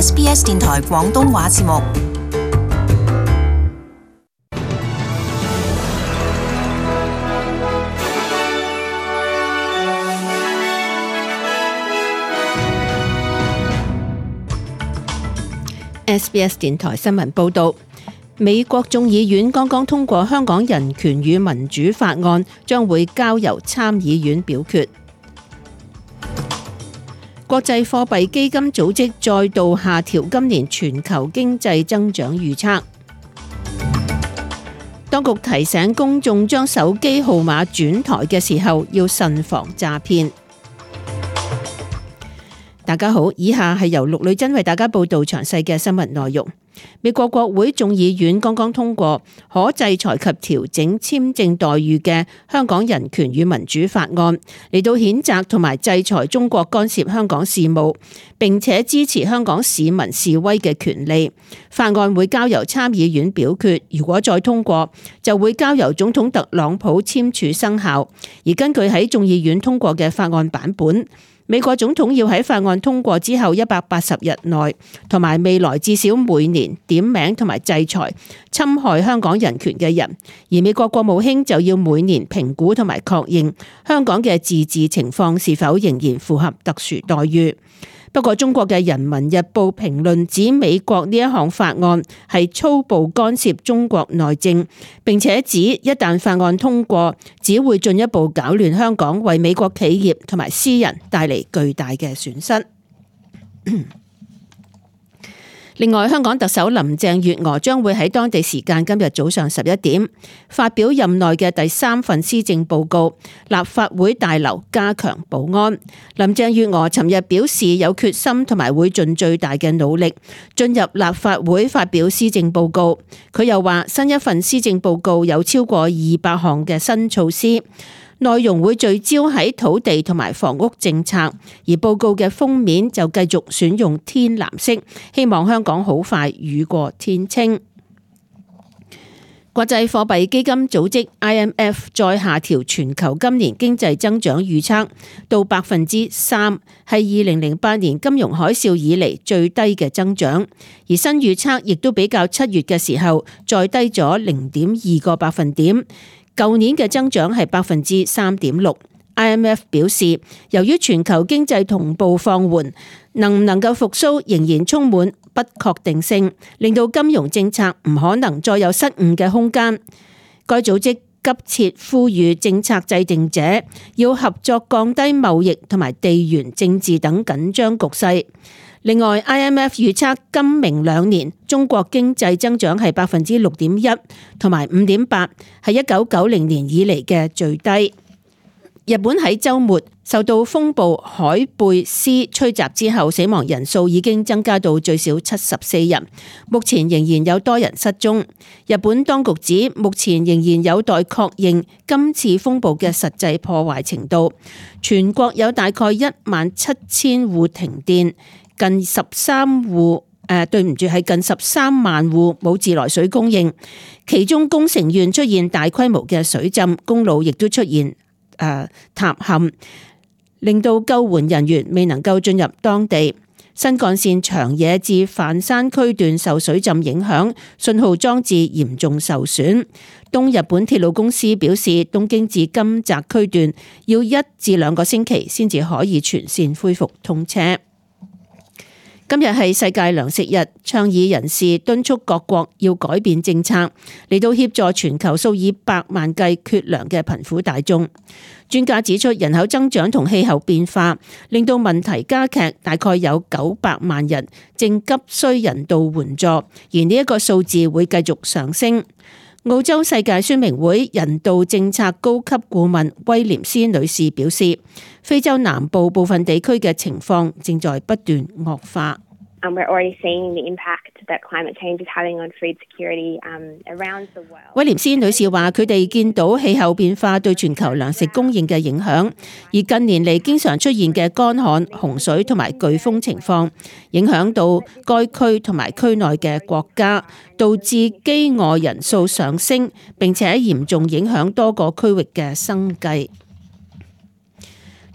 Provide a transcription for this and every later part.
SBS 電台廣東話節目。SBS 電台新聞報導，美國眾議院剛剛通過香港人權與民主法案，將會交由參議院表決。國際貨幣基金組織再度下調今年全球經濟增長預測。當局提醒公眾將手機號碼轉台嘅時候要慎防詐騙。大家好，以下係由陸女真為大家報道詳細嘅新聞內容。美國國會眾議院剛剛通過可制裁及調整簽證待遇嘅香港人權與民主法案，嚟到譴責同埋制裁中國干涉香港事務，並且支持香港市民示威嘅權利。法案會交由參議院表決，如果再通過，就會交由總統特朗普簽署生效。而根據喺眾議院通過嘅法案版本，美國總統要喺法案通過之後180日內，同埋未來至少每年點名同埋制裁侵害香港人權嘅人，而美國國務卿就要每年評估同埋確認香港嘅自治情況是否仍然符合特殊待遇。不過中國嘅《人民日報》評論指美國呢一項法案係粗暴干涉中國內政，並且指一旦法案通過，只會進一步搞亂香港，為美國企業同埋私人帶嚟巨大嘅損失。另外，香港特首林鄭月娥將會喺當地時間今日早上11點發表任內嘅第3份施政報告，立法會大樓加強保安。林鄭月娥尋日表示有決心同埋會盡最大嘅努力進入立法會發表施政報告。佢又話新一份施政報告有超過200項嘅新措施，內容會聚焦喺土地同埋房屋政策，而報告嘅封面就繼續選用天藍色，希望香港好快雨過天青。國際貨幣基金組織 IMF 再下調全球今年經濟增長預測到 3%， 係2008年金融海嘯以嚟最低嘅增長，而新預測亦都比較7月嘅時候再低咗 0.2個百分點。舊年嘅增長係 3.6%。IMF 表示，由於全球經濟同步放緩，能唔能夠復甦仍然充滿不確定性，令到金融政策唔可能再有失誤嘅空間。該組織急切呼籲政策制定者要合作降低貿易同埋地緣政治等緊張局勢。另外 ，IMF 預測今明2年中國經濟增長係 6.1% 同埋 5.8%， 係1990年以嚟嘅最低。日本喺週末受到風暴海貝斯吹襲之後，死亡人數已經增加到最少74人，目前仍然有多人失蹤。日本當局指，目前仍然有待確認今次風暴嘅實際破壞程度。全國有大概17000戶停電。近13萬戶冇自來水供應，其中宮城縣出現大規模嘅水浸，公路亦都出現塌陷，令到救援人員未能夠進入當地。新幹線長野至飯山區段受水浸影響，信號裝置嚴重受損。東日本鐵路公司表示，東京至金澤區段要1至2個星期先至可以全線恢復通車。今日係世界糧食日，倡議人士敦促各國要改變政策，嚟到協助全球數以百萬計缺糧嘅貧苦大眾。專家指出，人口增長同氣候變化令到問題加劇，大概有900萬人正急需人道援助，而呢一個數字會繼續上升。澳洲世界宣明會人道政策高級顧問威廉斯女士表示，非洲南部部分地區嘅情況正在不斷惡化。We're already seeing the impact that climate change is having on food security around the world. 威廉斯女士話：佢哋見到氣候變化對全球糧食供應嘅影響，而近年嚟經常出現嘅乾旱、洪水同埋颶風情況，影響到該區同埋區內嘅國家，導致飢餓人數上升，並且嚴重影響多個區域嘅生計。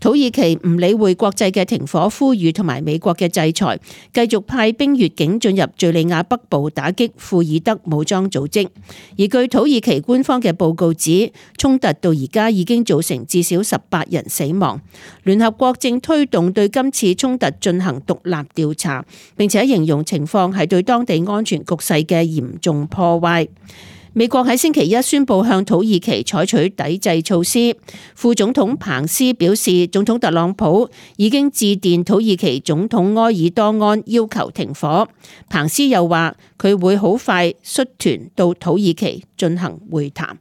土耳其唔理會國際嘅停火呼籲同埋美國嘅制裁，繼續派兵越境進入敘利亞北部打擊庫爾德武裝組織。而據土耳其官方嘅報告指，衝突到而家已經造成至少18人死亡。聯合國正推動對今次衝突進行獨立調查，並且形容情況係對當地安全局勢嘅嚴重破壞。美國喺星期一宣布向土耳其採取抵制措施。副總統彭斯表示，總統特朗普已經致電土耳其總統埃爾多安要求停火。彭斯又話佢會好快率團到土耳其進行會談。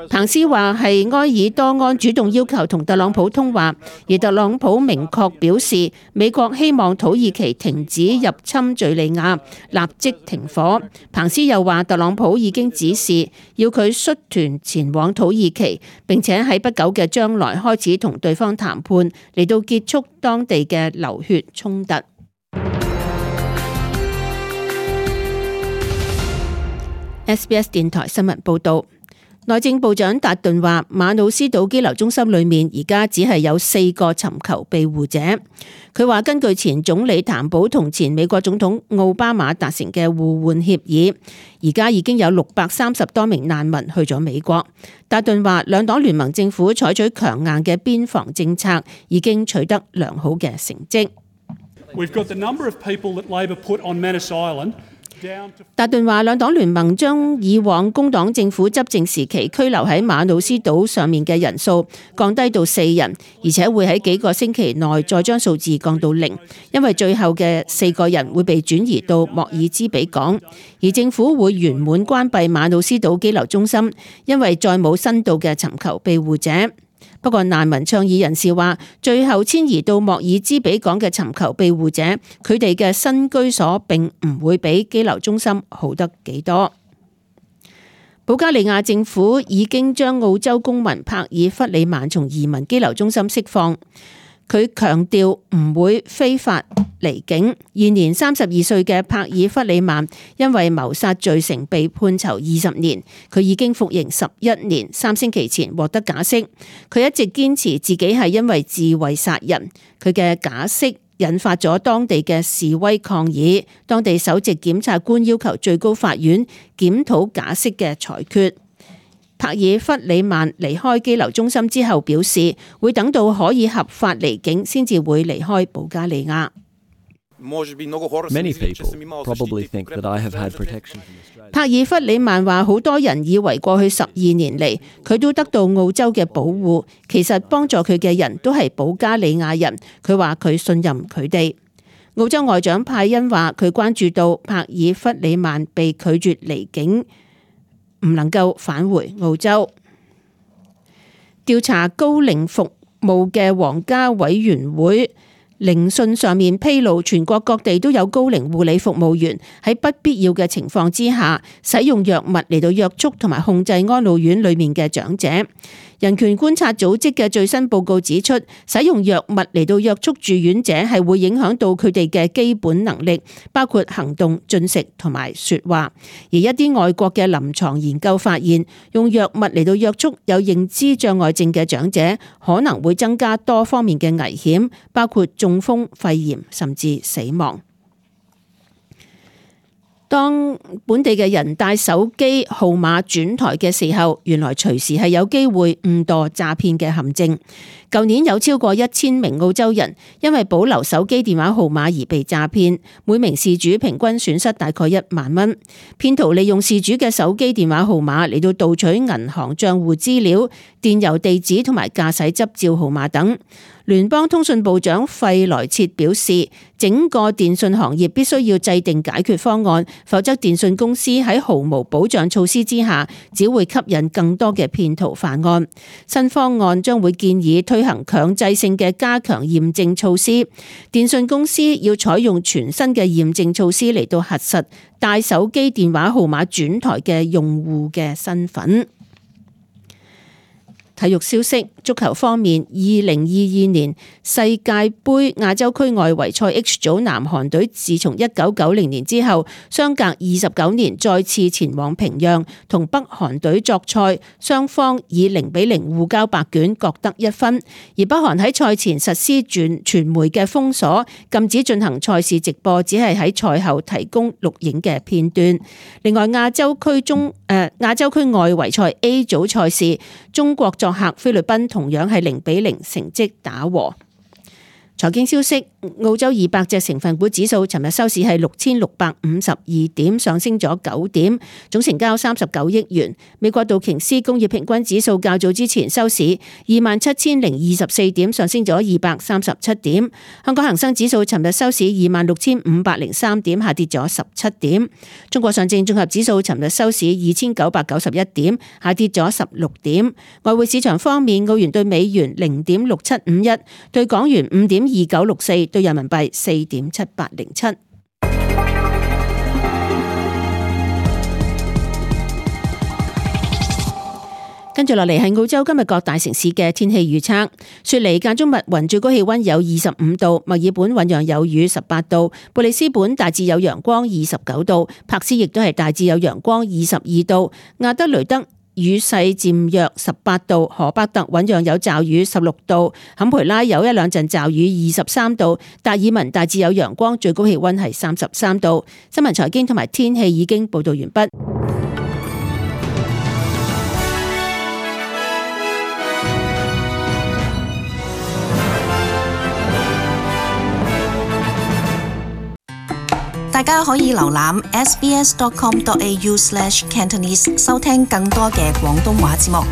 彭斯話係埃爾多安主動要求同特朗普通話，而特朗普明確表示美國希望土耳其停止入侵敘利亞，立即停火。彭斯又話特朗普已經指示要佢率團前往土耳其，並且喺不久嘅將來開始同對方談判，嚟到結束當地嘅流血衝突。SBS 電台新聞報道。內政部長達頓話，馬努斯島羈留中心裏面而家只係有4個尋求庇護者。佢話根據前總理譚寶同前美國總統奧巴馬達成嘅互換協議，而家已經有630多名難民去咗美國。達頓話，兩黨聯盟政府採取強硬嘅邊防政策，已經取得良好嘅成績。達頓話，兩黨聯盟將以往工黨政府執政時期拘留喺馬努斯島上面嘅人數降低到4人，而且會喺幾個星期內再將數字降到0，因為最後嘅4個人會被轉移到莫爾茲比港，而政府會圓滿關閉馬努斯島羈留中心，因為再冇新到嘅尋求庇護者。不過難民倡議人士話，最後遷移到莫爾茲比港嘅尋求庇護者，佢哋嘅新居所並唔會比羈留中心好得幾多。保加利亞政府已經將澳洲公民帕爾弗里曼從移民羈留中心釋放。佢強調唔會非法離境。現年32歲嘅帕爾弗里曼因為謀殺罪成被判囚20年，佢已經服刑11年，3星期前獲得假釋。佢一直堅持自己係因為自衛殺人。佢嘅假釋引發咗當地嘅示威抗議，當地首席檢察官要求最高法院檢討假釋嘅裁決。帕爾弗里曼離開羈留中心之後表示，會等到可以合法離境先至會離開保加利亞。帕爾弗里曼話，好多人以為過去12年嚟佢都得到澳洲嘅保護，其實幫助佢嘅人都係保加利亞人。佢話佢信任佢哋。澳洲外長派恩話，佢關注到帕爾弗里曼被拒絕離境，唔能夠返回澳洲。調查高齡服務嘅皇家委員會聆訊上面披露，全國各地都有高齡護理服務員喺不必要嘅情況之下，使用藥物嚟到約束同埋控制安老院裏面嘅長者。人權觀察組織嘅最新報告指出，使用藥物嚟到約束住院者係會影響到佢哋嘅基本能力，包括行動、進食同埋說話。而一啲外國嘅臨床研究發現，用藥物嚟到約束有認知障礙症嘅長者，可能會增加多方面嘅危險，包括中風、肺炎甚至死亡。當本地嘅人帶手機號碼轉台嘅時候，原來隨時係有機會誤墮詐騙嘅陷阱。舊年有超過1000名澳洲人因為保留手機電話號碼而被詐騙，每名事主平均損失大概1萬蚊。騙徒利用事主嘅手機電話號碼嚟到盜取銀行賬戶資料、電郵地址同埋駕駛執照號碼等。聯邦通訊部長費萊切表示，整個電信行業必須要制定解決方案，否則電信公司喺毫無保障措施之下，只會吸引更多嘅騙徒犯案。新方案將會建議推行強制性嘅加強驗證措施，電信公司要採用全新嘅驗證措施嚟到核實帶手機電話號碼轉台嘅用戶嘅身份。體育消息，足球方面，2022年世界盃亞洲區外圍賽 H 組南韓隊自從1990年之後，相隔29年再次前往平壤同北韓隊作賽，雙方以0-0互交白卷，各得1分。而北韓喺賽前實施傳媒嘅封鎖，禁止進行賽事直播，只係喺賽後提供錄影嘅片段。另外，亞洲區外圍賽 A 組賽事，中國作客菲律賓同樣係0-0成績打和。財經消息，澳洲200隻成分股指數尋日收市係6652點，上升咗9點，總成交39億元。美國道瓊斯工業平均指數較早之前收市27024點，上升咗237點。香港恒生指數尋日收市26503點，下跌咗17點。中國上證綜合指數尋日收市2991點，下跌咗16點。外匯市場方面，澳元對美元0.6751，對港元5.2964，對人民幣4.7807。跟住落嚟係澳洲今日各大城市嘅天氣預測。雪梨間中密雲，最高氣溫有25度；墨爾本醞釀有雨18度；布里斯本大致有陽光29度；柏斯亦都係大致有陽光22度；亞德雷德雨勢漸弱18度；荷伯特醞釀有驟雨16度；坎培拉有一兩陣驟雨23度；達爾文大致有陽光，最高氣溫係33度。新聞財經同埋天氣已經報道完畢。大家可以瀏覽 sbs.com.au/cantonese 收聽更多嘅廣東話節目。